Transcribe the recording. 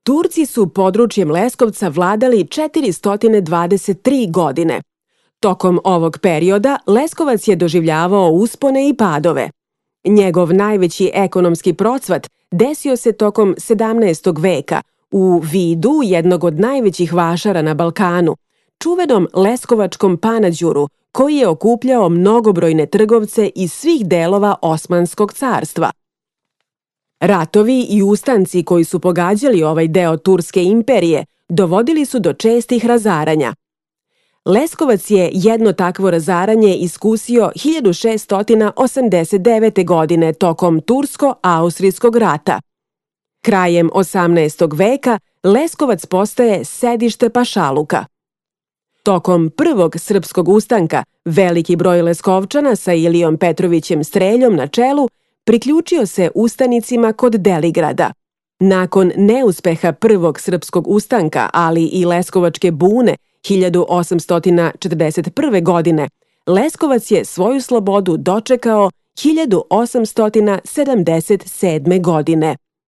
Turci su područjem Leskovca vladali 423 godine. Tokom ovog perioda Leskovac je doživljavao uspone i padove. Njegov najveći ekonomski procvat desio se tokom 17. veka u vidu jednog od najvećih vašara na Balkanu, čuvenom Leskovačkom Panađuru, koji je okupljao mnogobrojne trgovce iz svih delova Osmanskog carstva. Ratovi i ustanci koji su pogađali ovaj deo Turske imperije dovodili su do čestih razaranja. Leskovac je jedno takvo razaranje iskusio 1689. godine tokom Tursko-austrijskog rata. Krajem 18. veka Leskovac postaje sedište pašaluka. Tokom prvog srpskog ustanka veliki broj Leskovčana sa Ilijom Petrovićem Streljom na čelu priključio se ustanicima kod Deligrada. Nakon neuspeha prvog srpskog ustanka, ali i Leskovačke bune 1841. godine, Leskovac je svoju slobodu dočekao 1877. godine.